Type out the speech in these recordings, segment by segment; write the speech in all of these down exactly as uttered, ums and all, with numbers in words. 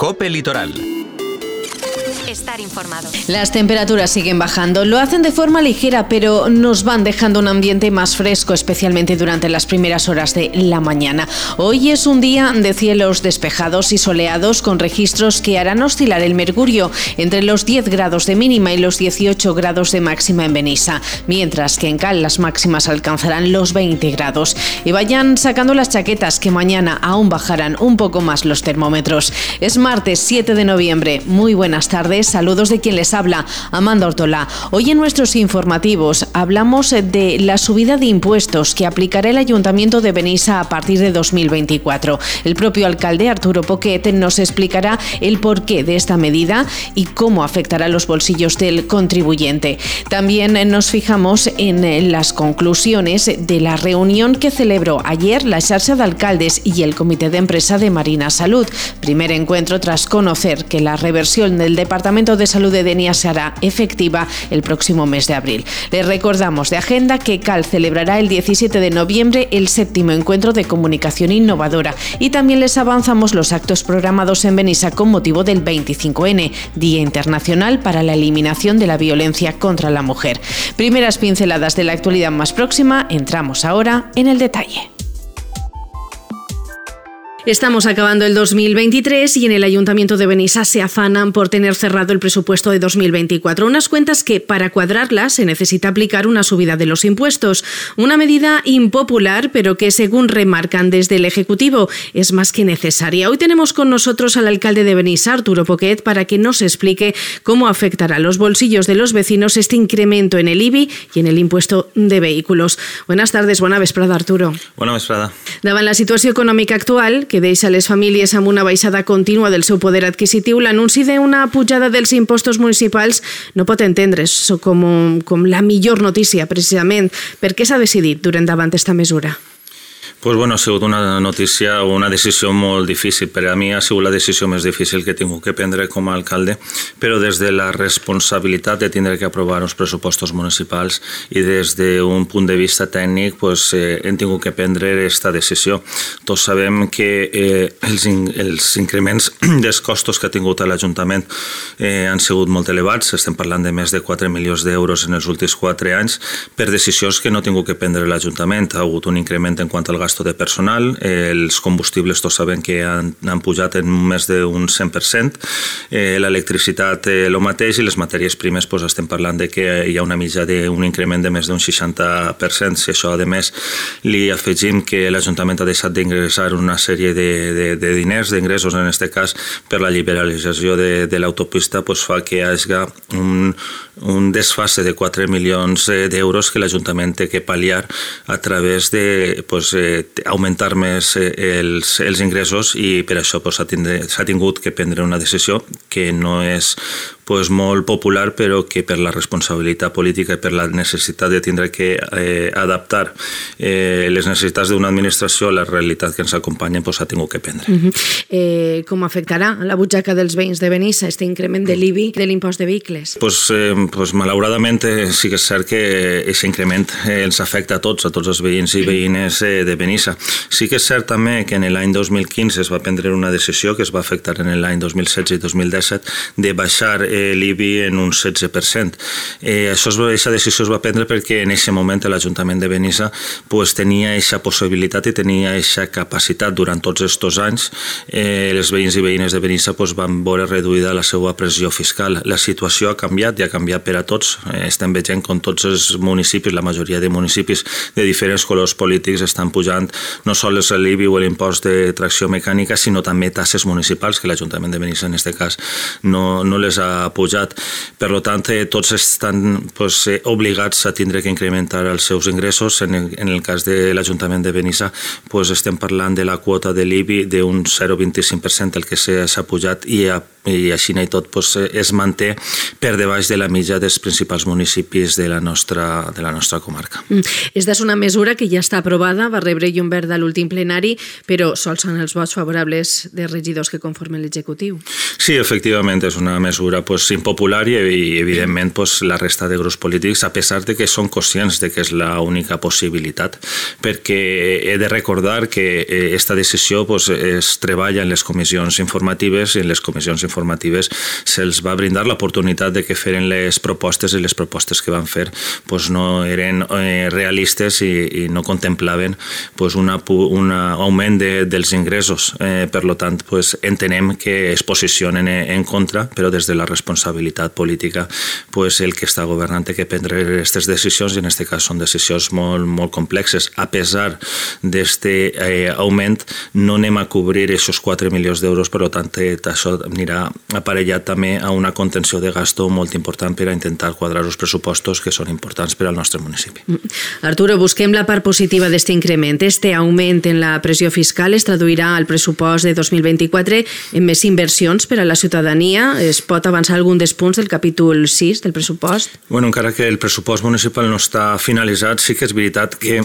COPE Litoral. Estar informado. Las temperaturas siguen bajando, lo hacen de forma ligera, pero nos van dejando un ambiente más fresco, especialmente durante las primeras horas de la mañana. Hoy es un día de cielos despejados y soleados, con registros que harán oscilar el mercurio entre los diez grados de mínima y los dieciocho grados de máxima en Benissa, mientras que en Cal las máximas alcanzarán los veinte grados. Y vayan sacando las chaquetas, que mañana aún bajarán un poco más los termómetros. Es martes siete de noviembre. Muy buenas tardes. Saludos de quien les habla, Amanda Ortola. Hoy en nuestros informativos hablamos de la subida de impuestos que aplicará el Ayuntamiento de Benissa a partir de dos mil veinticuatro. El propio alcalde, Arturo Poquet, nos explicará el porqué de esta medida y cómo afectará los bolsillos del contribuyente. También nos fijamos en las conclusiones de la reunión que celebró ayer la Xarxa de Alcaldes y el Comité de Empresa de Marina Salud. Primer encuentro tras conocer que la reversión del Departamento de Salud de Denia será efectiva el próximo mes de abril. Les recordamos de agenda que Cal celebrará el diecisiete de noviembre el séptimo encuentro de comunicación innovadora, y también les avanzamos los actos programados en Benissa con motivo del veinticinco ene, Día Internacional para la Eliminación de la Violencia contra la Mujer. Primeras pinceladas de la actualidad más próxima, entramos ahora en el detalle. Estamos acabando el dos mil veintitrés y en el Ayuntamiento de Benissa se afanan por tener cerrado el presupuesto de dos mil veinticuatro. Unas cuentas que, para cuadrarlas, se necesita aplicar una subida de los impuestos. Una medida impopular, pero que, según remarcan desde el Ejecutivo, es más que necesaria. Hoy tenemos con nosotros al alcalde de Benissa, Arturo Poquet, para que nos explique cómo afectará a los bolsillos de los vecinos este incremento en el I B I y en el impuesto de vehículos. Buenas tardes, bona vesprada, Arturo. Bona vesprada. Davant la situació econòmica actual, que deixa les famílies amb una baixada contínua del seu poder adquisitiu, l'anunci d'una pujada dels impostos municipals no pot entendre's com, com la millor notícia, precisament. Per què s'ha decidit durant davant aquesta mesura? Pues bueno, ha sigut una notícia o una decisió molt difícil. Per a mi ha sigut la decisió més difícil que he tingut que prendre com a alcalde, però des de la responsabilitat de tindre que aprovar uns pressupostos municipals i des d'un punt de vista tècnic pues, eh, hem tingut que prendre aquesta decisió. Tots sabem que eh, els, in, els increments dels costos que ha tingut l'Ajuntament eh, han sigut molt elevats. Estem parlant de més de quatre milions d'euros en els últims quatre anys per decisions que no ha tingut que prendre l'Ajuntament. Ha hagut un increment en quant al gasto de personal, eh, els combustibles tots sabem que han, han pujat en més d'un cent per cent, eh, l'electricitat eh, el mateix, i les matèries primes pues, estem parlant de que hi ha una mitja d'un increment de més d'un seixanta per cent. Si això a més li afegim que l'Ajuntament ha deixat d'ingressar una sèrie de, de, de diners, d'ingressos en aquest cas per la liberalització de, de l'autopista, pues, fa que hi hagi un, un desfase de quatre milions d'euros que l'Ajuntament té que pal·liar a través de pues, eh, augmentar més els, els ingressos, i per això pues, s'ha tingut que prendre una decisió que no és pues, molt popular, però que per la responsabilitat política i per la necessitat de tindre que eh, adaptar eh, les necessitats d'una administració a la realitat que ens acompanya, pues, s'ha tingut que prendre. Uh-huh. eh, com afectarà la butxaca dels veïns de Benissa este increment de l'I B I, de l'impost de vehicles? Pues, eh, pues, malauradament eh, sí que és cert que aquest increment eh, ens afecta a tots, a tots els veïns i veïnes eh, de Benissa. Sí que és cert també que en l'any dos mil quinze es va prendre una decisió que es va afectar en l'any dos mil setze i dos mil disset de baixar l'I B I en un setze per cent. Eh, això es, aquesta decisió es va prendre perquè en aquest moment l'Ajuntament de Benissa pues, tenia aquesta possibilitat i tenia aquesta capacitat durant tots aquests anys. Eh, els veïns i veïnes de Benissa pues, van veure reduïda la seva pressió fiscal. La situació ha canviat i ha canviat per a tots. Eh, estem veient com tots els municipis, la majoria de municipis de diferents colors polítics estan pujant no sols l'I B I o l'impost de tracció mecànica, sinó també tasses municipals que l'Ajuntament de Benissa en aquest cas no, no les ha pujat. Per tant, tots estan pues, obligats a tindre que incrementar els seus ingressos. En el, en el cas de l'Ajuntament de Benissa pues, estem parlant de la quota de l'I B I d'un zero coma vint-i-cinc per cent el que s'ha pujat, i, a, i així i tot pues, es manté per debaix de la mitja dels principals municipis de la nostra, de la nostra comarca. Mm. Esta és una mesura que ja està aprovada, va rebre llum verda a l'últim plenari, però sols són els vots favorables de regidors que conformen l'executiu. Sí, efectivament, és una mesura pues, impopular i, i evidentment pues, la resta de grups polítics, a pesar de que són conscients de que és l'única possibilitat, perquè he de recordar que esta decisió pues, es treballa en les comissions informatives i en les comissions informatives se'ls va brindar l'oportunitat de que feren les propostes i les propostes que van fer pues, no eren eh, realistes i, i no contemplaven pues, un augment de, dels ingressos. Eh, per tant, pues, entenem que es posicionen en contra, però des de la responsabilitat política pues, el que està governant té que prendre aquestes decisions i en aquest cas són decisions molt, molt complexes. A pesar d'aquest eh, augment no anem a cobrir aquests quatre milions d'euros, per tant això anirà aparellat també a una contenció de gasto molt important per a intentar quadrar els pressupostos que són importants per al nostre municipi. Arturo, busquem la part positiva d'aquest increment. Este augment en la pressió fiscal es traduirà al pressupost de dos mil vint-i-quatre en més inversions per a la ciutadania. Es pot avançar algun dels punts del capítol sis del pressupost? Bueno, encara que el pressupost municipal no està finalitzat, sí que és veritat que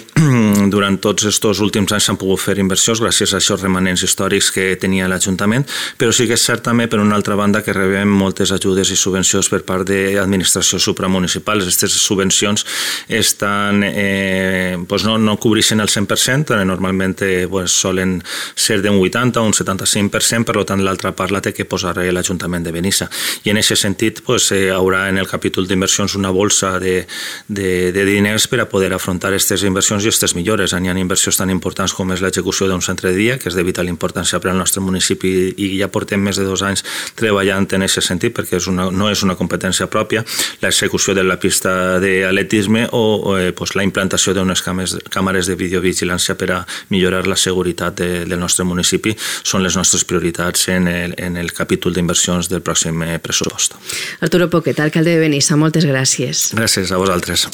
durant tots aquests últims anys s'han pogut fer inversions gràcies a aquests remanents històrics que tenia l'Ajuntament, però sí que és cert també, per una altra banda, que rebem moltes ajudes i subvencions per part d'administracions supramunicipals. Aquestes subvencions estan, eh, pues no, no cobreixen el cent per cent, normalment eh, pues, solen ser d'un vuitanta o un setanta-cinc per cent, per tant l'altra part la té que posar l'Ajuntament de Benissa. I en aquest sentit pues, eh, haurà en el capítol d'inversions una bolsa de, de, de diners per a poder afrontar aquestes inversions i aquestes millores. Hi ha inversions tan importants com és l'execució d'un centre de dia, que és de vital importància per al nostre municipi i ja portem més de dos anys treballant en aquest sentit perquè és una, no és una competència pròpia, l'execució de la pista d'atletisme o, o eh, pues, la implantació d'unes càmeres de videovigilància per a millorar la seguretat de, del nostre municipi són les nostres prioritats en el, en el capítol d'inversions del pròxim pressupost. Arturo Poquet, alcalde de Benissa, moltes gràcies. Gràcies a vosaltres.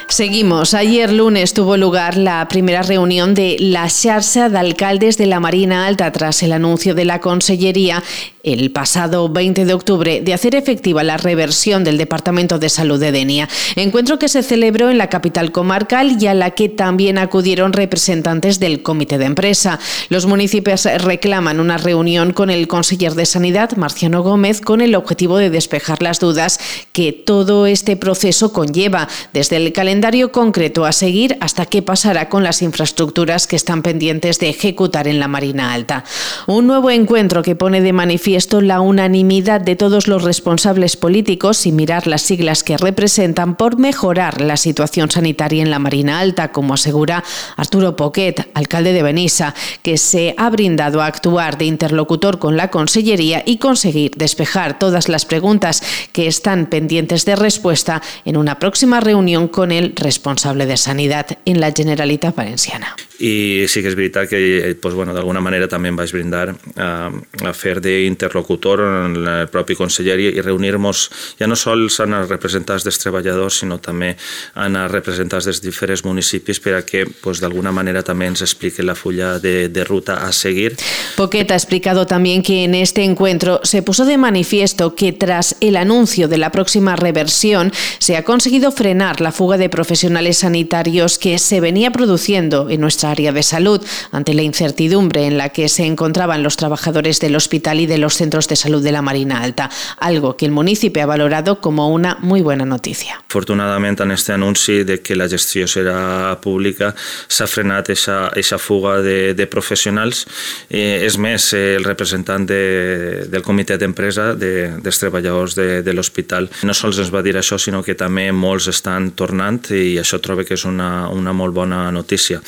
Seguimos. Ayer lunes tuvo lugar la primera reunión de la Xarxa de Alcaldes de la Marina Alta tras el anuncio de la Consellería el pasado veinte de octubre de hacer efectiva la reversión del Departamento de Salud de Denia. Encuentro que se celebró en la capital comarcal y a la que también acudieron representantes del Comité de Empresa. Los municipios reclaman una reunión con el conseller de Sanidad, Marciano Gómez, con el objetivo de despejar las dudas que todo este proceso conlleva, desde el calendario concreto a seguir hasta qué pasará con las infraestructuras que están pendientes de ejecutar en la Marina Alta. Un nuevo encuentro que pone de manifiesto la unanimidad de todos los responsables políticos, sin mirar las siglas que representan, por mejorar la situación sanitaria en la Marina Alta, como asegura Arturo Poquet, alcalde de Benissa, que se ha brindado a actuar de interlocutor con la Consellería y conseguir despejar todas las preguntas que están pendientes de respuesta en una próxima reunión con el responsable de Sanidad en la Generalitat Valenciana. I sí que és veritat que pues, bueno, d'alguna manera també em vaig brindar a, a fer d'interlocutor en el propi conseller i reunir-nos ja no sols en els representants dels treballadors, sinó també en els representants dels diferents municipis per a que pues, d'alguna manera també ens expliquen la fulla de, de ruta a seguir. Poquet ha explicado también que en este encuentro se puso de manifiesto que tras el anuncio de la próxima reversión se ha conseguido frenar la fuga de profesionales sanitarios que se venía produciendo en nuestra área de salud ante la incertidumbre en la que se encontraban los trabajadores del hospital y de los centros de salud de la Marina Alta, algo que el municipio ha valorado como una muy buena noticia. Afortunadament, en este anunci de que la gestió serà pública s'ha frenat aquesta fuga de, de professionals. Eh, és més, el representant de, del comitè d'empresa de, dels treballadors de, de l'hospital no sols ens va dir això, sinó que també molts estan tornant i això trobo que és una, una molt bona notícia.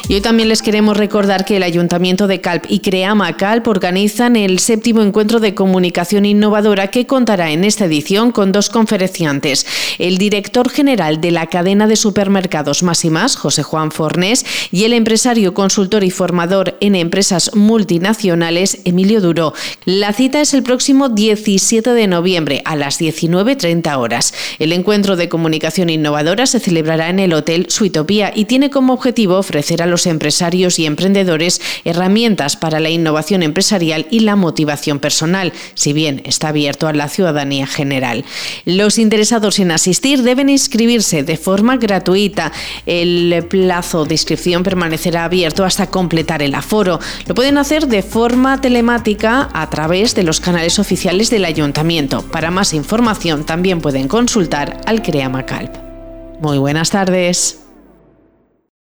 Y hoy también les queremos recordar que el Ayuntamiento de Calp y Creama Calp organizan el séptimo encuentro de comunicación innovadora que contará en esta edición con dos conferenciantes. El director general de la cadena de supermercados Más y Más, José Juan Fornés, y el empresario, consultor y formador en empresas multinacionales, Emilio Duró. La cita es el próximo diecisiete de noviembre a las diecinueve treinta horas. El encuentro de comunicación innovadora se celebrará en el Hotel Suitopía y tiene como objetivo ofrecer a los los empresarios y emprendedores herramientas para la innovación empresarial y la motivación personal, si bien está abierto a la ciudadanía general. Los interesados en asistir deben inscribirse de forma gratuita. El plazo de inscripción permanecerá abierto hasta completar el aforo. Lo pueden hacer de forma telemática a través de los canales oficiales del Ayuntamiento. Para más información también pueden consultar al CREAMACALP. Muy buenas tardes.